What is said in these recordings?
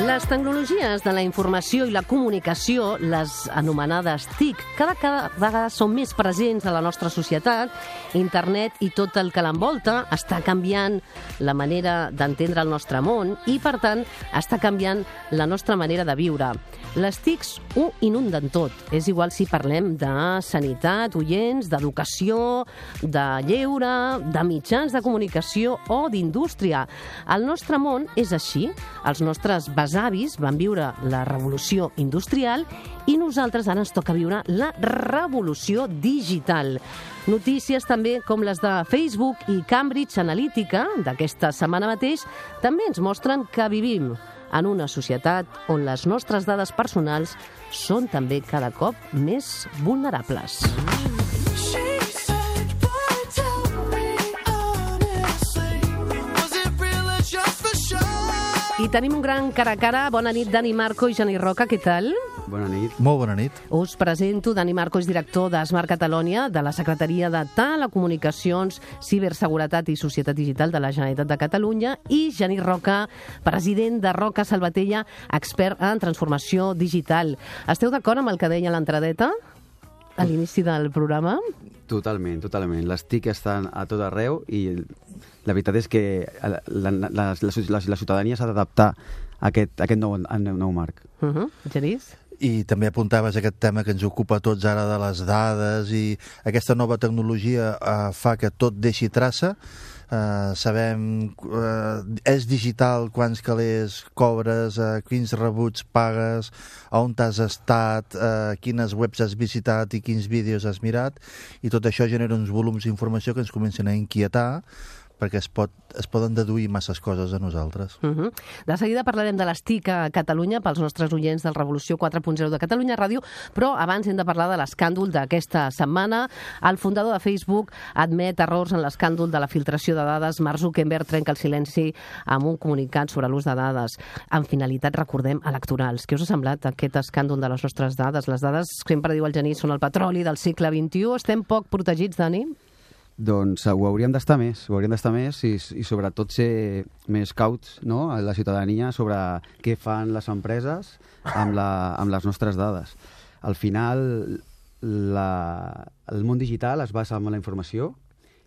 Les tecnologies de la informació i la comunicació, les anomenades TIC, cada vegada són més presents a la nostra societat. Internet i tot el que l'envolta està canviant la manera d'entendre el nostre món i, per tant, està canviant la nostra manera de viure. Les TICs ho inunden tot. És igual si parlem de sanitat, oients, d'educació, de lleure, de mitjans de comunicació o d'indústria. El nostre món és així. Els nostres besavis van viure la revolució industrial i nosaltres ara ens toca viure la revolució digital. Notícies també com les de Facebook i Cambridge Analytica d'aquesta setmana mateix també ens mostren que vivim en una societat on les nostres dades personals són també cada cop més vulnerables. I tenim un gran cara a cara. Bona nit, Dani Marco i Genís Roca, què tal? Bona nit. Molt bona nit. Us presento. Dani Marco és director d'Smart Catalonia, de la Secretaria de Telecomunicacions, Ciberseguretat i Societat Digital de la Generalitat de Catalunya, i Genís Roca, president de Roca Salvatella, expert en transformació digital. Esteu d'acord amb el que deia l'entradeta a l'inici del programa? Totalment, totalment. Les TIC estan a tot arreu i la veritat és que la ciutadania s'ha d'adaptar a aquest nou marc. Genís? I també apuntaves aquest tema que ens ocupa a tots ara de les dades, i aquesta nova tecnologia fa que tot deixi traça. Sabem, és digital, quants calés cobres, quins rebuts pagues, on t'has estat, quines webs has visitat i quins vídeos has mirat, i tot això genera uns volums d'informació que ens comencen a inquietar, perquè es poden deduir masses coses a nosaltres. De seguida parlarem de les TIC a Catalunya pels nostres oients del Revolució 4.0 de Catalunya Ràdio, però abans hem de parlar de l'escàndol d'aquesta setmana. El fundador de Facebook admet errors en l'escàndol de la filtració de dades. Mark Zuckerberg trenca el silenci amb un comunicat sobre l'ús de dades amb finalitat, recordem, electorals. Què us ha semblat aquest escàndol de les nostres dades? Les dades, sempre diu el Genís, són el petroli del segle XXI. Estem poc protegits, Dani? Doncs ho hauríem d'estar més, i sobretot ser més cauts, no?, a la ciutadania sobre què fan les empreses amb les nostres dades. Al final, el món digital es basa en la informació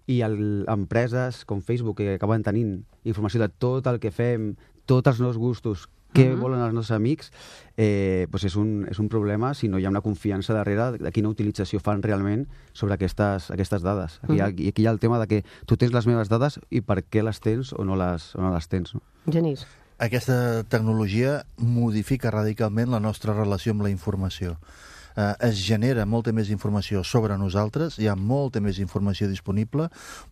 i empreses com Facebook, que acaben tenint informació de tot el que fem, tots els nostres gustos, què volen els nostres amics, doncs és un problema si no hi ha una confiança darrere de quina utilització fan realment sobre aquestes dades. Aquí hi ha el tema de que tu tens les meves dades i per què les tens o no les tens. No? Genís. Aquesta tecnologia modifica radicalment la nostra relació amb la informació. Es genera molta més informació sobre nosaltres, hi ha molta més informació disponible,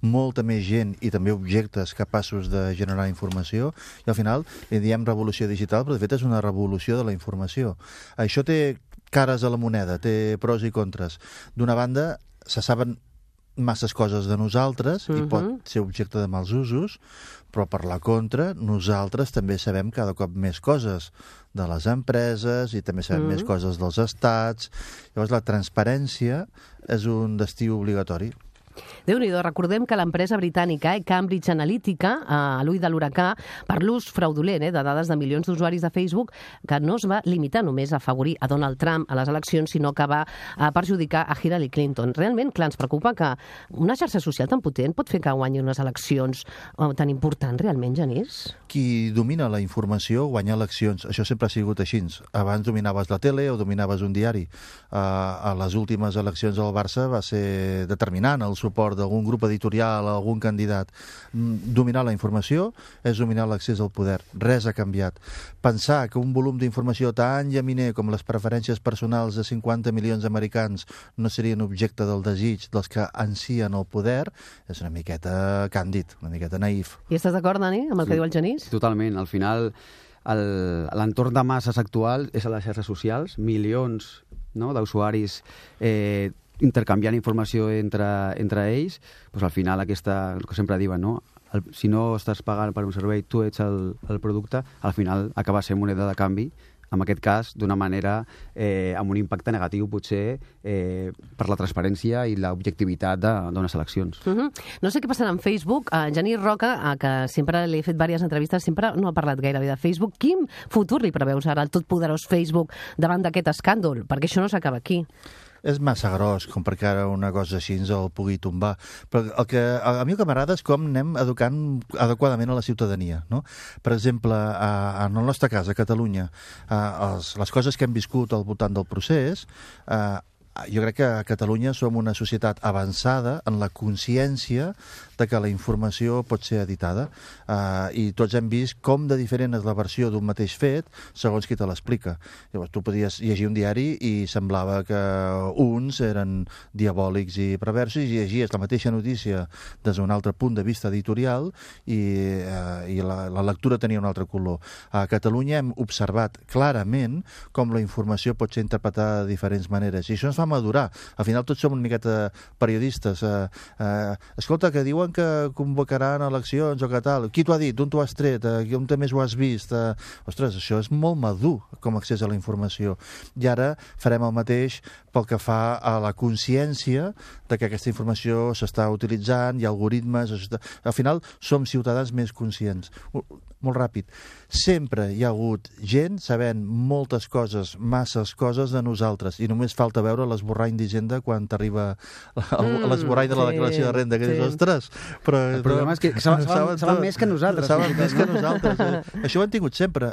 molta més gent i també objectes capaços de generar informació, i al final li diem revolució digital, però de fet és una revolució de la informació. Això té cares a la moneda, té pros i contres. D'una banda, se saben masses coses de nosaltres i pot ser objecte de mals usos, però per la contra, nosaltres també sabem cada cop més coses de les empreses i també sabem més coses dels estats. Llavors, la transparència és un destí obligatori. Déu-n'hi-do, recordem que l'empresa britànica Cambridge Analytica, a l'ull de l'huracà, per l'ús fraudulent de dades de milions d'usuaris de Facebook, que no es va limitar només a afavorir a Donald Trump a les eleccions, sinó que va perjudicar a Hillary Clinton. Realment, clar, ens preocupa que una xarxa social tan potent pot fer que guanyi unes eleccions tan importants, realment, Genís? Qui domina la informació guanya eleccions. Això sempre ha sigut així. Abans dominaves la tele o dominaves un diari. A les últimes eleccions del Barça va ser determinant el suport d'algun grup editorial, algun candidat. Dominar la informació és dominar l'accés al poder. Res ha canviat. Pensar que un volum d'informació tan llaminer com les preferències personals de 50 milions d'americans no serien objecte del desig dels que ansien el poder és una miqueta càndid, una miqueta naïf. I estàs d'acord, Dani, amb el que diu el Genís? Totalment. Al final, l'entorn de masses actual és a les xarxes socials, milions, no?, d'usuaris intercanviant informació entre ells, doncs al final el que sempre diuen, no? Si no estàs pagant per un servei, tu ets el producte, al final acaba sent moneda de canvi en aquest cas, d'una manera amb un impacte negatiu, potser, per la transparència i l'objectivitat d'unes eleccions. No sé què passarà amb Facebook. Genís Roca, que sempre li he fet diverses entrevistes, sempre no ha parlat gairebé de Facebook. Quin futur li preveus ara al totpoderós Facebook davant d'aquest escàndol? Perquè això no s'acaba aquí. És massa gros com perquè ara una cosa així ens el pugui tombar. Però a mi el que m'agrada és com anem educant adequadament a la ciutadania. No? Per exemple, en el nostre cas, a Catalunya, les coses que hem viscut al voltant del procés, jo crec que a Catalunya som una societat avançada en la consciència de que la informació pot ser editada, i tots hem vist com de diferent és la versió d'un mateix fet segons qui te l'explica. Llavors, tu podies llegir un diari i semblava que uns eren diabòlics i perversos i llegies la mateixa notícia des d'un altre punt de vista editorial i la lectura tenia un altre color. A Catalunya hem observat clarament com la informació pot ser interpretada de diferents maneres i això ens fa madurar. Al final tots som una miqueta periodistes. Escolta, que diuen que convocaran eleccions o que tal. Qui t'ho ha dit? D'on t'ho has tret? On més ho has vist? Ostres, això és molt madur com a accés a la informació. I ara farem el mateix pel que fa a la consciència de que aquesta informació s'està utilitzant, hi ha algoritmes... Al final som ciutadans més conscients. Molt ràpid. Sempre hi ha hagut gent sabent moltes coses, masses coses de nosaltres, i només falta veure l'esborrany d'Hisenda quan t'arriba l'esborrany de la declaració de renda, que dius, ostres, però... El problema és que saben més que nosaltres. Saben més que nosaltres. Això ho hem tingut sempre.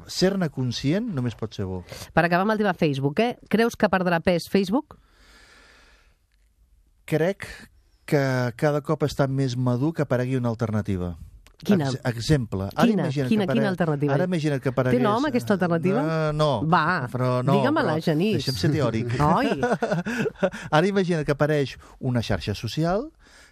Ser-ne conscient només pot ser bo. Per acabar amb el tema Facebook, creus que perdrà pes Facebook? Crec que cada cop està més madur que aparegui una alternativa. Quina? Exemple. Quina alternativa? Ara imagina't que aparegués... Té nom, aquesta alternativa? No. Va, digue-me-la, Genís. Deixa'm ser teòric. Oi! Ara imagina't que apareix una xarxa social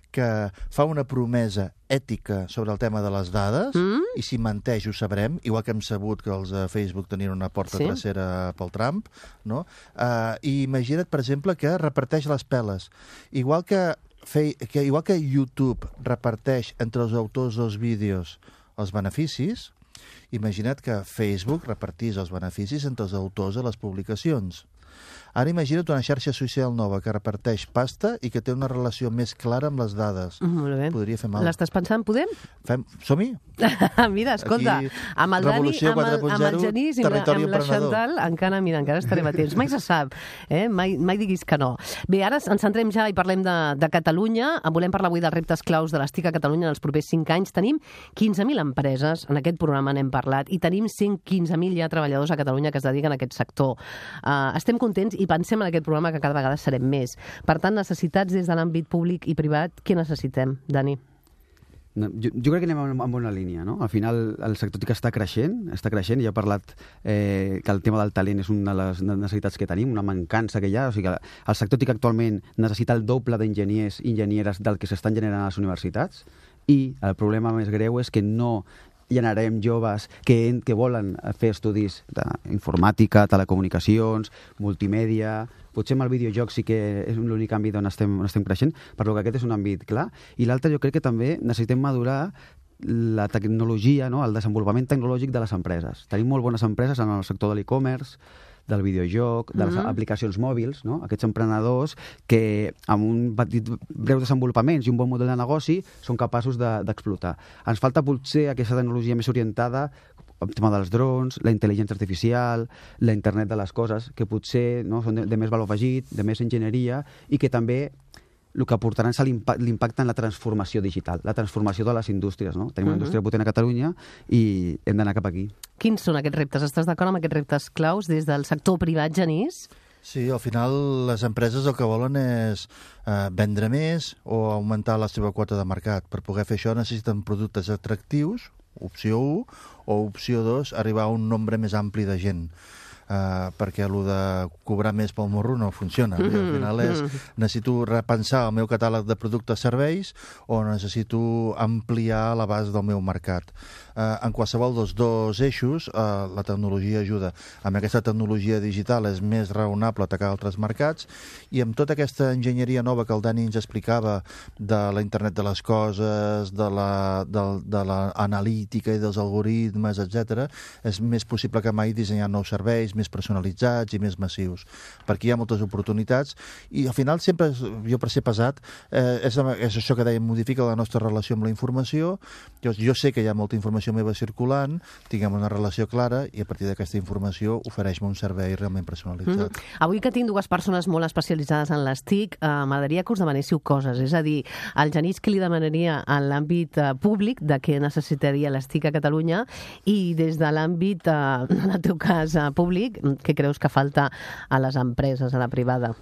que fa una promesa ètica sobre el tema de les dades i si menteix ho sabrem, igual que hem sabut que els de Facebook tenien una porta trasera pel Trump, no? I imagina't, per exemple, que reparteix les peles. Igual que YouTube reparteix entre els autors dels vídeos els beneficis, imagina't que Facebook repartís els beneficis entre els autors de les publicacions. Ara imagina't una xarxa social nova que reparteix pasta i que té una relació més clara amb les dades. Molt bé. Podria fer mal. L'estàs pensant? Podem? Som-hi? Mira, escolta, amb el Dani, amb el Genís i amb la Chantal, encara estarem a temps. Mai se sap, mai diguis que no. Bé, ara ens centrem ja i parlem de Catalunya. Volem parlar avui dels reptes claus de les TIC a Catalunya en els propers 5 anys. Tenim 15.000 empreses, en aquest programa n'hem parlat, i tenim 115.000 ja treballadors a Catalunya que es dediquen a aquest sector. Estem contents i pensem en aquest programa que cada vegada serem més. Per tant, necessitats des de l'àmbit públic i privat, què necessitem, Dani? Jo crec que anem en bona línia, no? Al final el sector TIC està creixent, i he parlat que el tema del talent és una de les necessitats que tenim, una mancança que hi ha, o sigui que el sector TIC actualment necessita el doble d'enginyers i enginyeres del que s'estan generant a les universitats, i el problema més greu és que no generarem joves que volen fer estudis d'informàtica, telecomunicacions, multimèdia. Potser amb el videojoc sí que és l'únic àmbit on estem creixent, però que aquest és un àmbit clar. I l'altre jo crec que també necessitem madurar la tecnologia, no? El desenvolupament tecnològic de les empreses. Tenim molt bones empreses en el sector de l'e-commerce, del videojoc, de les aplicacions mòbils, no? Aquests emprenedors que amb un petit breu desenvolupament i un bon model de negoci són capaços d'explotar. Ens falta potser aquesta tecnologia més orientada el tema dels drons, la intel·ligència artificial, la internet de les coses, que potser són de més valor afegit, de més enginyeria, i que també el que aportaran és l'impacte en la transformació digital, la transformació de les indústries, no? Tenim una indústria potent a Catalunya i hem d'anar cap aquí. Quins són aquests reptes? Estàs d'acord amb aquests reptes claus des del sector privat, Genís? Sí, al final les empreses el que volen és vendre més o augmentar la seva quota de mercat. Per poder fer això necessiten productes atractius, opció 1, o opció 2, arribar a un nombre més ampli de gent. perquè el de cobrar més pel morro no funciona. Al final necessito repensar el meu catàleg de productes-serveis o necessito ampliar l'abast del meu mercat. En qualsevol dels dos eixos, la tecnologia ajuda. Amb aquesta tecnologia digital és més raonable atacar altres mercats, i amb tota aquesta enginyeria nova que el Dani ens explicava de la internet de les coses, de l'analítica i dels algoritmes, etc., és més possible que mai dissenyar nous serveis més personalitzats i més massius, perquè hi ha moltes oportunitats, i al final sempre, jo per ser pesat, és això que dèiem, modifica la nostra relació amb la informació. Jo sé que hi ha molta informació meva circulant, tinguem una relació clara, i a partir d'aquesta informació ofereix-me un servei realment personalitzat. Avui que tinc dues persones molt especialitzades en les TIC, m'agradaria que us demanéssiu coses, és a dir, al Genís que li demanaria en l'àmbit públic de què necessitaria les TIC a Catalunya, i des de l'àmbit, en el teu cas, públic, què creus que falta a les empreses, a la privada?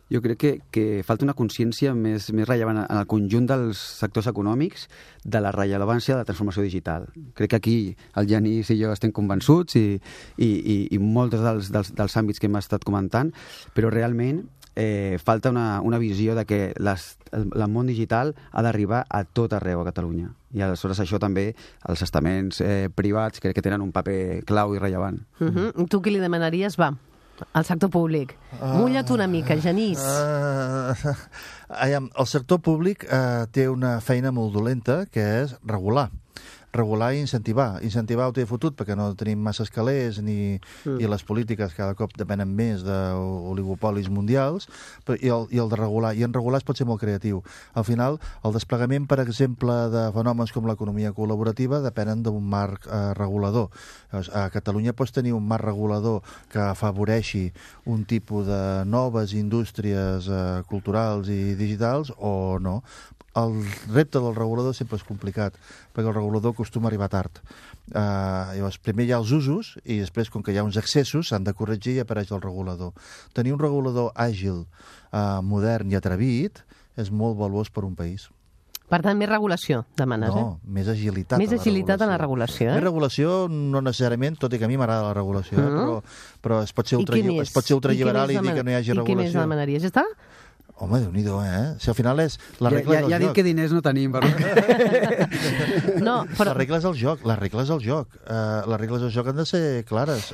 Jo crec que falta una consciència més rellevant en el conjunt dels sectors econòmics de la rellevància de la transformació digital. Crec que aquí el Genís i jo estem convençuts i molts dels àmbits que hem estat comentant, però realment falta una visió de que el món digital ha d'arribar a tot arreu a Catalunya. I aleshores això també, els estaments privats, crec que tenen un paper clau i rellevant. Tu què li demanaries? Va, al sector públic. Mulla't una mica, Genís. El sector públic té una feina molt dolenta, que és regular i incentivar. Incentivar ho té fotut perquè no tenim massa escalers i les polítiques cada cop depenen més d'oligopolis mundials, i el de regular. I en regular es pot ser molt creatiu. Al final, el desplegament, per exemple, de fenòmens com l'economia col·laborativa depenen d'un marc regulador. A Catalunya pots tenir un marc regulador que afavoreixi un tipus de noves indústries culturals i digitals o no. El repte del regulador sempre és complicat, perquè el regulador acostuma a arribar tard. Llavors, primer hi ha els usos, i després, com que hi ha uns excessos, s'han de corregir i apareix el regulador. Tenir un regulador àgil, modern i atrevit és molt valuós per un país. Per tant, més regulació, demanes, No, més agilitat. Més agilitat en la regulació, Més regulació, no necessàriament, tot i que a mi m'agrada la regulació, però es pot ser ultraliberal i dir que no hi hagi regulació. I què més demanaries? Ja està? Home, Déu-n'hi-do, Si al final és la regla del joc. Ja ha dit que diners no tenim, però... No, però... La regla és el joc. Les regles del joc han de ser clares.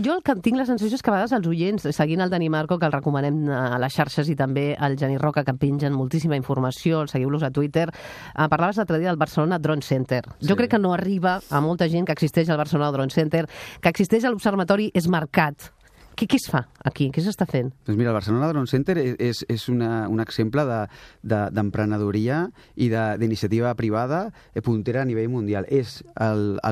Jo el que tinc la sensació és que a vegades els oients, seguint el Dani Marco, que el recomanem a les xarxes, i també el Genís Roca, que pengen moltíssima informació, el seguiu-los a Twitter, parlaves l'altre dia del Barcelona Drone Center. Jo crec que no arriba a molta gent que existeix al Barcelona Drone Center, que existeix a l'Observatori és Mercat. Què es fa aquí? Què s'està fent? Doncs mira, el Barcelona Drone Center és un exemple d'emprenedoria i d'iniciativa privada puntera a nivell mundial. És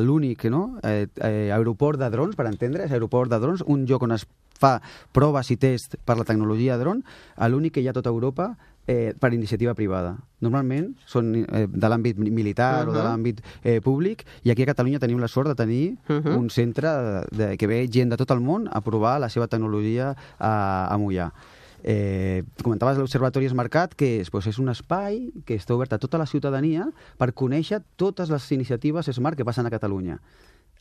l'únic aeroport de drons, per entendre's, aeroport de drons, un lloc on es fa proves i tests per la tecnologia de dron, l'únic que hi ha a tota Europa per iniciativa privada. Normalment són de l'àmbit militar o de l'àmbit públic, i aquí a Catalunya tenim la sort de tenir un centre que ve gent de tot el món a provar la seva tecnologia a Moià. Comentaves l'Observatori és Mercat, que és un espai que està obert a tota la ciutadania per conèixer totes les iniciatives Smart que passen a Catalunya.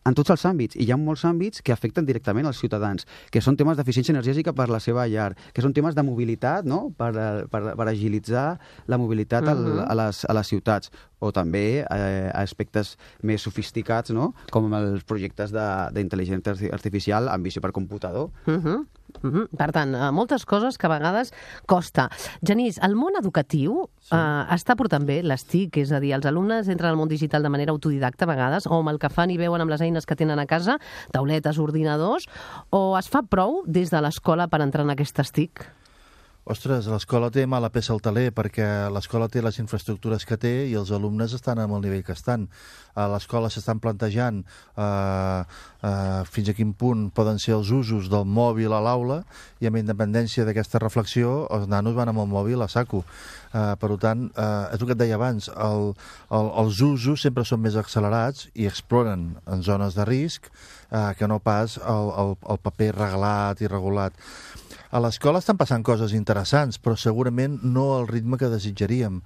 En tots els àmbits, i hi ha molts àmbits que afecten directament als ciutadans, que són temes d'eficiència energètica per la seva llar, que són temes de mobilitat, no?, per agilitzar la mobilitat a les ciutats, o també aspectes més sofisticats, no?, com els projectes d'intel·ligència artificial amb visió per computador. Per tant, moltes coses que a vegades costa. Genís, el món educatiu està portant bé les TIC, és a dir, els alumnes entren al món digital de manera autodidacta a vegades, o amb el que fan i veuen amb les eines que tenen a casa, tauletes, ordinadors, o es fa prou des de l'escola per entrar en aquestes TIC? Ostres, l'escola té mala peça al taler, perquè l'escola té les infraestructures que té i els alumnes estan amb el nivell que estan. A l'escola s'estan plantejant fins a quin punt poden ser els usos del mòbil a l'aula, i amb independència d'aquesta reflexió els nanos van amb el mòbil a saco. Per tant, és el que et deia abans, els usos sempre són més accelerats i exploren en zones de risc que no pas el paper reglat i regulat. A l'escola estan passant coses interessants, però segurament no al ritme que desitjaríem.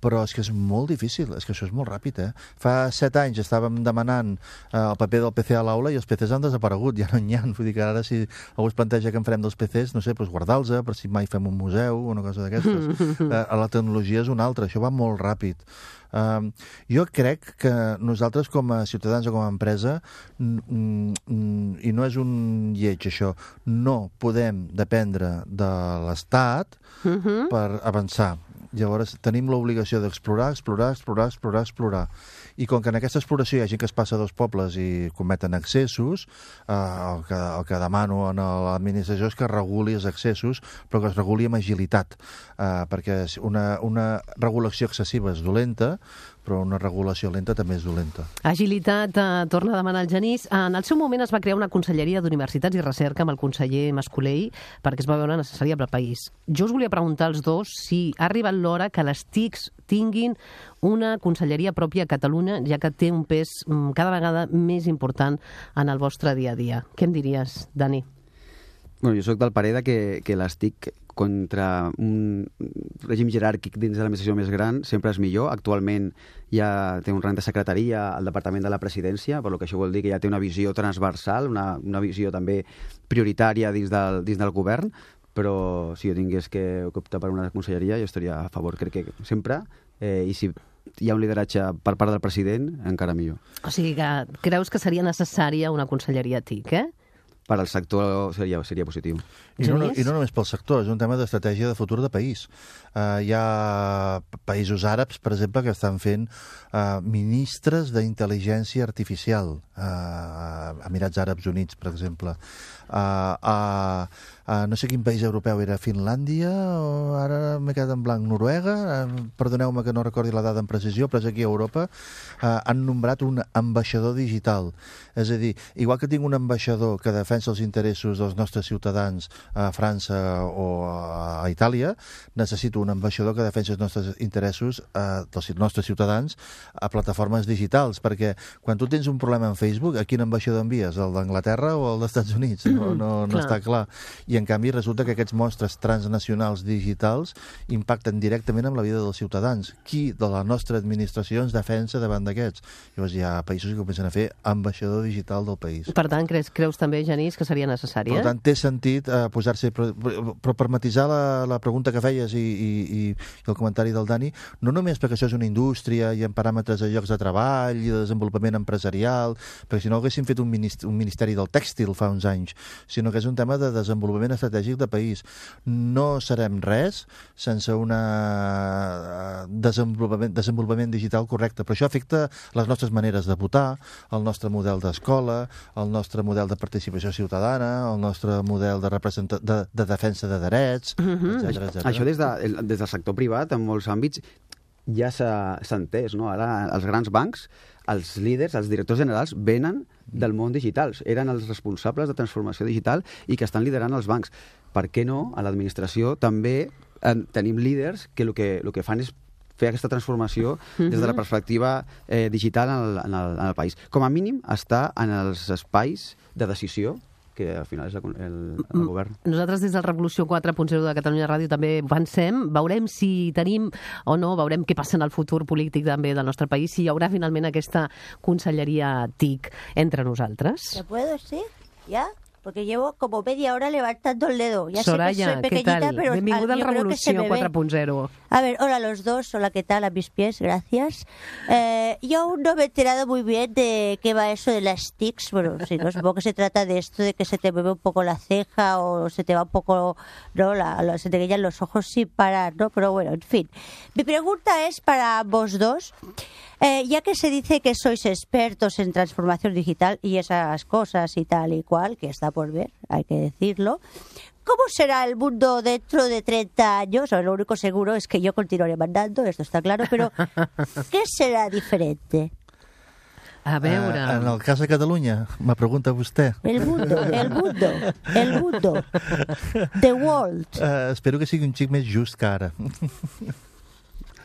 però és que és molt difícil, és que això és molt ràpid, Fa 7 anys estàvem demanant el paper del PC a l'aula i els PCs han desaparegut, ja no n'hi ha. Vull dir que ara si algú es planteja que en farem dels PCs, no sé, doncs guardar-los per si mai fem un museu o una cosa d'aquestes. La tecnologia és una altra, això va molt ràpid. Jo crec que nosaltres com a ciutadans o com a empresa, i no és un lleig això, no podem dependre de l'Estat per avançar. Llavors tenim l'obligació d'explorar. I com que en aquesta exploració hi ha gent que es passa a dos pobles i cometen excessos, el que demano a l'administració és que reguli els excessos, però que es reguli amb agilitat, perquè una regulació excessiva és dolenta, però una regulació lenta també és dolenta. Agilitat, torna a demanar el Genís. En el seu moment es va crear una conselleria d'Universitats i Recerca amb el conseller Mascolell perquè es va veure necessària per al país. Jo us volia preguntar als dos si ha arribat l'hora que les TICs tinguin una conselleria pròpia a Catalunya, ja que té un pes cada vegada més important en el vostre dia a dia. Què em diries, Dani? Bueno, jo soc del parer que les TIC contra un règim jeràrquic dins de l'administració més gran sempre és millor. Actualment ja té un rang de secretaria al Departament de la Presidència, per lo que això vol dir que ja té una visió transversal, una visió també prioritària dins del govern, però si jo tingués que optar per una conselleria jo estaria a favor, crec que sempre, i si hi ha un lideratge per part del president, encara millor. O sigui que creus que seria necessària una conselleria TIC, Per al sector seria positiu. I no només pel sector, és un tema d'estratègia de futur de país. Hi ha països àrabs, per exemple, que estan fent ministres d'intel·ligència artificial. Emirats Àrabs Units, per exemple. No sé quin país europeu era, Finlàndia, o ara m'he quedat en blanc, Noruega, perdoneu-me que no recordi la dada en precisió, però és aquí a Europa, han nombrat un ambaixador digital. És a dir, igual que tinc un ambaixador que defensa els interessos dels nostres ciutadans a França o a Itàlia, necessito un ambaixador que defensa els nostres interessos dels nostres ciutadans a plataformes digitals, perquè quan tu tens un problema en Facebook, a quin ambaixador envies? El d'Anglaterra o el dels Estats Units? No està clar. I en canvi resulta que aquests monstres transnacionals digitals impacten directament en la vida dels ciutadans. Qui de la nostra administració ens defensa davant d'aquests? Llavors hi ha països que comencen a fer ambaixador digital del país. Per tant, creus també, Genís, que seria necessari? Per tant, té sentit posar-se... Però per matisar la pregunta que feies i el comentari del Dani, no només perquè això és una indústria i en paràmetres de llocs de treball i de desenvolupament empresarial, perquè si no haguéssim fet un ministeri del tèxtil fa uns anys, sinó que és un tema de desenvolupament estratègic de país. No serem res sense un desenvolupament digital correcte, però això afecta les nostres maneres de votar, el nostre model d'escola, el nostre model de participació ciutadana, el nostre model de defensa de drets, etc. Això des del sector privat, en molts àmbits, ja s'ha entès, no? Ara els grans bancs, els líders, els directors generals, venen del món digital. Eren els responsables de transformació digital i que estan liderant els bancs. Per què no? A l'administració també tenim líders que el que fan és fer aquesta transformació des de la perspectiva digital en el país. Com a mínim, està en els espais de decisió que al final és el govern. Nosaltres des del Revolució 4.0 de Catalunya Ràdio també pensem, veurem si tenim o no, veurem què passa en el futur polític també del nostre país, si hi haurà finalment aquesta conselleria TIC entre nosaltres. ¿Te puedo decir? ¿Ya? Porque llevo como media hora levantando el dedo. Ya Soraya, sé que soy pequeñita, ¿qué tal? pero Benvinguda al yo creo que se Revolució me ve. 4.0. A ver, hola a los dos, hola, ¿qué tal? A mis pies, gracias. Yo aún no me he enterado muy bien de qué va eso de las tics. Bueno, si no, supongo que se trata de esto de que se te mueve un poco la ceja o se te va un poco, ¿no? Se te guían los ojos sin parar, ¿no? Pero bueno, en fin. Mi pregunta es para vos dos. Ya que se dice que sois expertos en transformación digital y esas cosas y tal y cual, que está por ver, hay que decirlo, ¿cómo será el mundo dentro de 30 años? O lo único seguro es que yo continuaré mandando, esto está claro, pero ¿qué será diferente? A veure... En el cas de Catalunya, me pregunta vostè. El mundo. The world. Espero que sigui un xic més just que ara.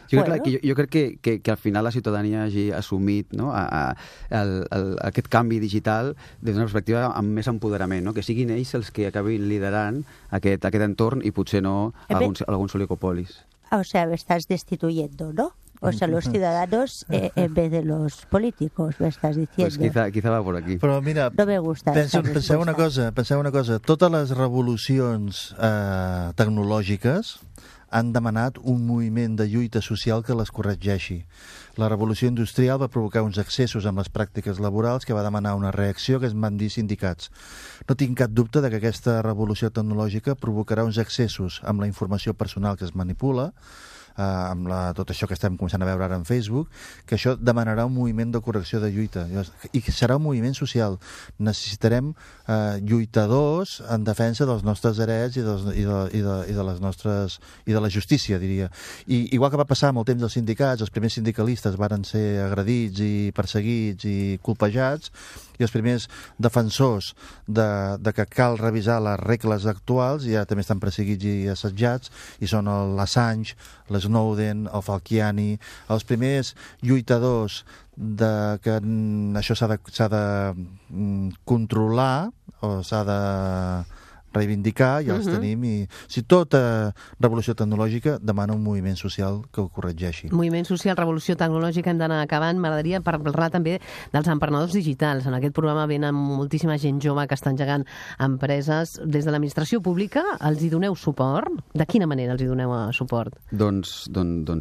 Jo crec que al final la ciutadania hagi assumit, no, aquest canvi digital des d'una perspectiva amb més empoderament, no? Que siguin ells els que acabin liderant aquest entorn i potser no alguns oligopolis. O sea, me estás destituyendo, ¿no? O sea, los ciudadanos en vez de los políticos, me estás diciendo. Pues quizá va por aquí. Però mira, No me gusta esta penseu una respuesta. cosa. Totes les revolucions tecnològiques han demanat un moviment de lluita social que les corregeixi. La revolució industrial va provocar uns excessos amb les pràctiques laborals que va demanar una reacció que es van dir sindicats. No tinc cap dubte de que aquesta revolució tecnològica provocarà uns excessos amb la informació personal que es manipula, amb tot això que estem començant a veure ara en Facebook, que això demanarà un moviment de correcció de lluita i que serà un moviment social. Necessitarem lluitadors en defensa dels nostres drets i de la justícia, diria. I igual que va passar amb el temps dels sindicats, els primers sindicalistes varen ser agredits i perseguits i colpejats, i els primers defensors de que cal revisar les regles actuals ja també estan perseguits i assetjats, i són l'Assange, l'Snowden, el Falciani, els primers lluitadors de que això s'ha de controlar o s'ha de reivindicar, ja els tenim, i tota revolució tecnològica demana un moviment social que ho corregeixi. Moviment social, revolució tecnològica, hem d'anar acabant. M'agradaria parlar també dels emprenedors digitals. En aquest programa venen moltíssima gent jove que està engegant empreses. Des de l'administració pública els hi doneu suport? De quina manera els hi doneu suport? Doncs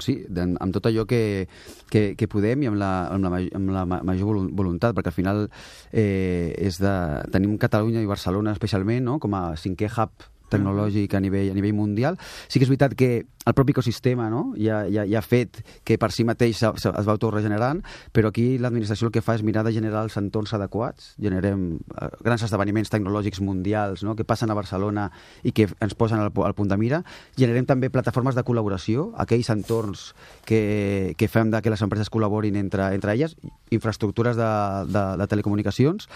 sí, amb tot allò que podem i amb la major voluntat, perquè al final tenim Catalunya i Barcelona especialment, no?, com a 5è hub tecnològic a nivell mundial. Sí que és veritat que el propi ecosistema, no?, ja ha fet que per si mateix es va autoregenerant, però aquí l'administració el que fa és mirar de generar els entorns adequats. Generem grans esdeveniments tecnològics mundials, no?, que passen a Barcelona i que ens posen al punt de mira. Generem també plataformes de col·laboració, aquells entorns que fem que les empreses col·laborin entre elles, infraestructures de telecomunicacions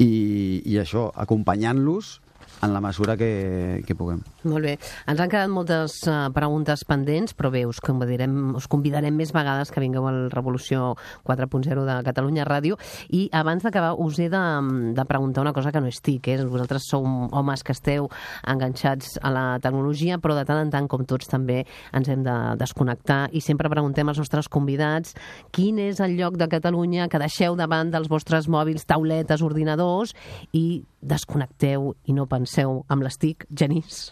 i això, acompanyant-los en la mesura que puguem. Molt bé. Ens han quedat moltes preguntes pendents, però bé, us convidarem més vegades que vingueu al Revolució 4.0 de Catalunya Ràdio. I abans d'acabar us he de preguntar una cosa que no és TIC. Vosaltres sou homes que esteu enganxats a la tecnologia, però de tant en tant, com tots, també ens hem de desconnectar i sempre preguntem als nostres convidats quin és el lloc de Catalunya que deixeu davant dels vostres mòbils, tauletes, ordinadors i desconnecteu i no penseu amb les TIC. Genís?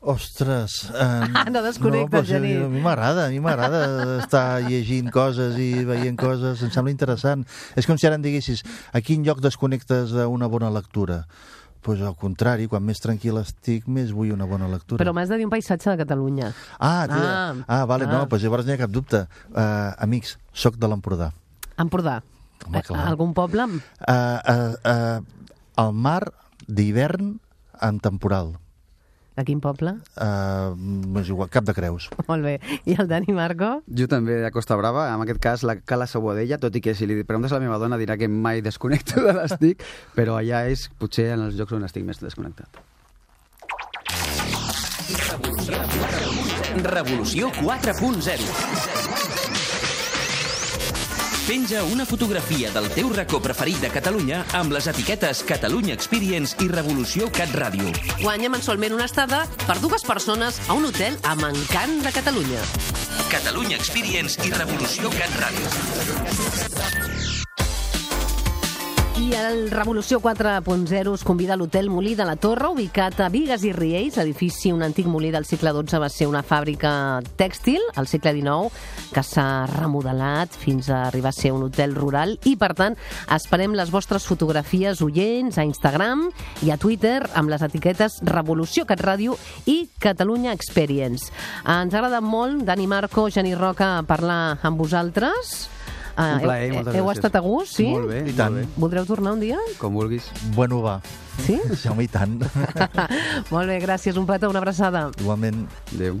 Ostres! No desconnectes, Genís. A mi m'agrada estar llegint coses i veient coses, em sembla interessant. És com si ara em diguessis a quin lloc desconnectes d'una bona lectura. Doncs al contrari, quan més tranquil estic, més vull una bona lectura. Però m'has de dir un paisatge de Catalunya. Vale, no, doncs llavors n'hi ha cap dubte. Amics, soc de l'Empordà. Empordà? Home, clar. Algun poble? El mar d'hivern en temporal. De quin poble? És igual, Cap de Creus. Molt bé. I el Dani Marco? Jo també de Costa Brava, en aquest cas la Cala Sobodella, tot i que si li preguntes a la meva dona dirà que mai desconnecto de les TIC, però allà és potser en els llocs on estic més desconnectat. Revolució 4.0. Penja una fotografia del teu racó preferit de Catalunya amb les etiquetes Catalunya Experience i Revolució Cat Ràdio. Guanya mensualment una estada per 2 persones a un hotel amb encant de Catalunya. Catalunya Experience i Revolució Cat Ràdio. I el Revolució 4.0 us convida a l'Hotel Molí de la Torre, ubicat a Bigues i Riells. L'edifici, un antic molí del segle XII, va ser una fàbrica tèxtil al segle XIX que s'ha remodelat fins a arribar a ser un hotel rural i, per tant, esperem les vostres fotografies oients a Instagram i a Twitter amb les etiquetes Revolució Cat Ràdio i Catalunya Experience. Ens ha agradat molt, Dani Marco, Genís Roca, parlar amb vosaltres. Un plaer, moltes gràcies. Heu estat a gust, sí? Molt bé, I tant. molt bé. Voldreu tornar un dia? Com vulguis. Bueno, va. Sí? Sí, home, i tant. Molt bé, gràcies. Un petó, una abraçada. Igualment. Adéu.